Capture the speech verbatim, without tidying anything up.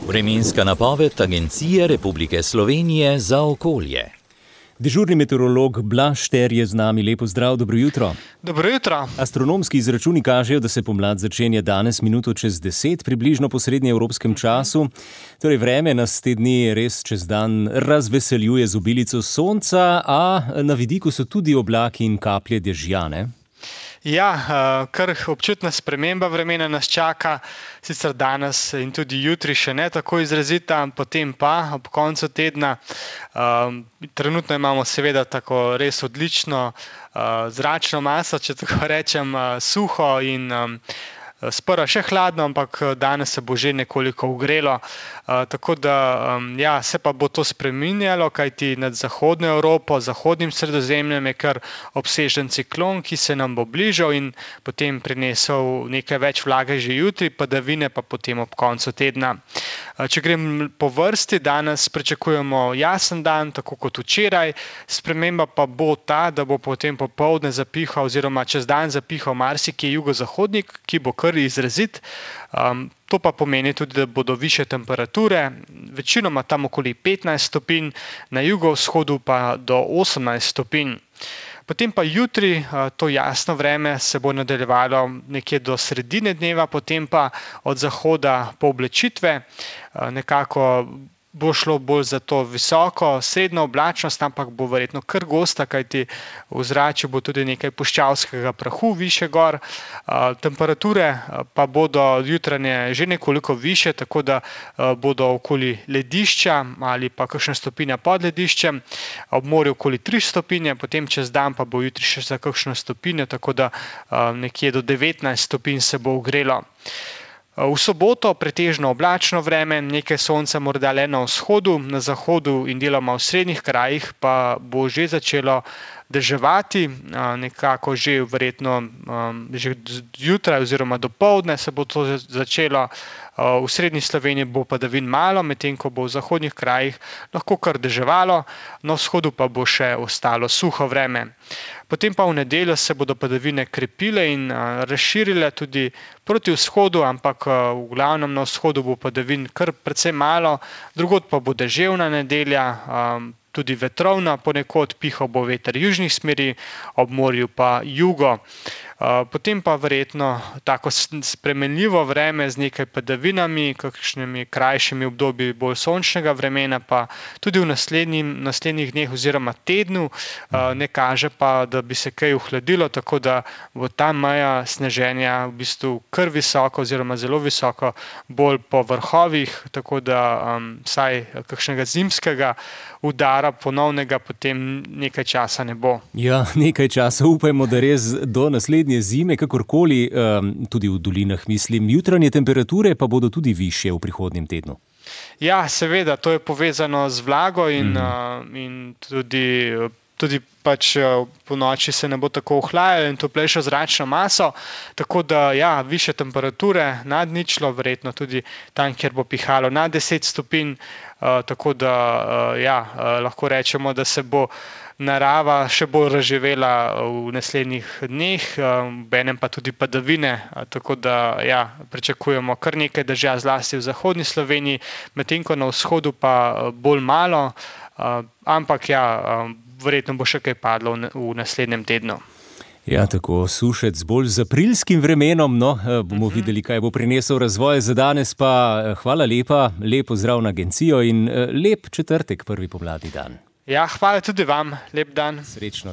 Vremenska napoved Agencije Republike Slovenije za okolje. Dežurni meteorolog Blaž Šter je z nami. Lepo zdrav, dobro jutro. Dobro jutro. Astronomski izračuni kažejo, da se pomlad začenja danes minuto čez deset, približno po srednjeevropskem času. Torej vreme nas te dni res čez dan razveseljuje z obilico sonca, a na vidiku so tudi oblaki in kaplje dežja, ne? Ja, kar občutna sprememba vremena nas čaka, sicer danes in tudi jutri še ne tako izrazita, potem pa ob koncu tedna. Um, trenutno imamo seveda tako res odlično uh, zračno maso, če tako rečem, uh, suho in um, sprva še hladno, ampak danes se bo že nekoliko ogrelo, uh, tako da um, ja, se pa bo to spreminjalo, kajti nad zahodno Evropo, zahodnim Sredozemljem je kar obsežen ciklon, ki se nam bo bližal in potem prinesel nekaj več vlage že jutri, padavine pa potem ob koncu tedna. Uh, če grem po vrsti, danes pričakujemo jasen dan, tako kot včeraj, sprememba pa bo ta, da bo potem popoldne zapihal oziroma čez dan zapihal marsikje jugozahodnik, ki bo kar izrazit. Um, to pa pomeni tudi, da bodo višje temperature, večinoma tam okoli petnajst stopinj, na jugovzhodu pa do osemnajst stopinj. Potem pa jutri to jasno vreme se bo nadaljevalo nekje do sredine dneva, potem pa od zahoda pooblačitve, nekako bo šlo bolj za to visoko, srednjo oblačnost, ampak bo verjetno kar gosta, kajti v zraku bo tudi nekaj puščavskega prahu višje gor. Temperature pa bodo jutranje že nekoliko višje, tako da bodo okoli ledišča ali pa kakšna stopinja pod lediščem, ob morju okoli tri stopinje, potem čez dan pa bo jutri še za kakšno stopinjo, tako da nekje do devetnajst stopinj se bo ogrelo. V soboto pretežno oblačno vreme, nekaj sonca morda le na vzhodu, na zahodu in deloma v srednjih krajih pa bo že začelo deževati, nekako že verjetno že zjutraj oziroma dopoldne se bo to začelo. V srednji Sloveniji bo padavin malo, medtem ko bo v zahodnih krajih lahko kar deževalo, na vzhodu pa bo še ostalo suho vreme. Potem pa v nedeljo se bodo padavine krepile in razširile tudi proti vzhodu, ampak v glavnem na vzhodu bo padavin kar precej malo, drugod pa bo deževna nedelja, tudi vetrovna, ponekod pihal bo veter južnih smeri, ob morju pa jugo. Potem pa verjetno tako spremenljivo vreme z nekaj padavinami, kakšnimi krajšimi obdobji bolj sončnega vremena, pa tudi v naslednjih dneh oziroma tednu ne kaže pa, da bi se kaj ohladilo, tako da bo ta meja sneženja v bistvu kar visoko oziroma zelo visoko, bolj po vrhovih, tako da um, vsaj kakšnega zimskega udara ponovnega potem nekaj časa ne bo. Ja, nekaj časa, upajmo, da res do naslednje zime, kakorkoli, um, tudi v dolinah mislim. Jutranje temperature pa bodo tudi višje v prihodnjem tednu. Ja, seveda, to je povezano z vlago in, mm. uh, in tudi, tudi pač po noči se ne bo tako ohlajalo in toplejšo zračno maso, tako da ja, višje temperature nad ničlo, verjetno tudi tam, kjer bo pihalo nad deset stopinj, uh, tako da uh, ja, uh, lahko rečemo, da se bo narava še bolj razživela v naslednjih dneh, benem pa tudi padavine, tako da ja, pričakujemo kar nekaj dežja zlasti v zahodni Sloveniji, medtem ko na vzhodu pa bolj malo, ampak ja, verjetno bo še kaj padlo v naslednjem tednu. Ja, tako sušec bolj z aprilskim vremenom, no, bomo uh-huh. videli, kaj bo prinesel razvoj. Za danes pa hvala lepa, lep pozdrav na agencijo in lep četrtek, prvi pomladni dan. Ja, hvala tudi vam, lep dan. Srečno.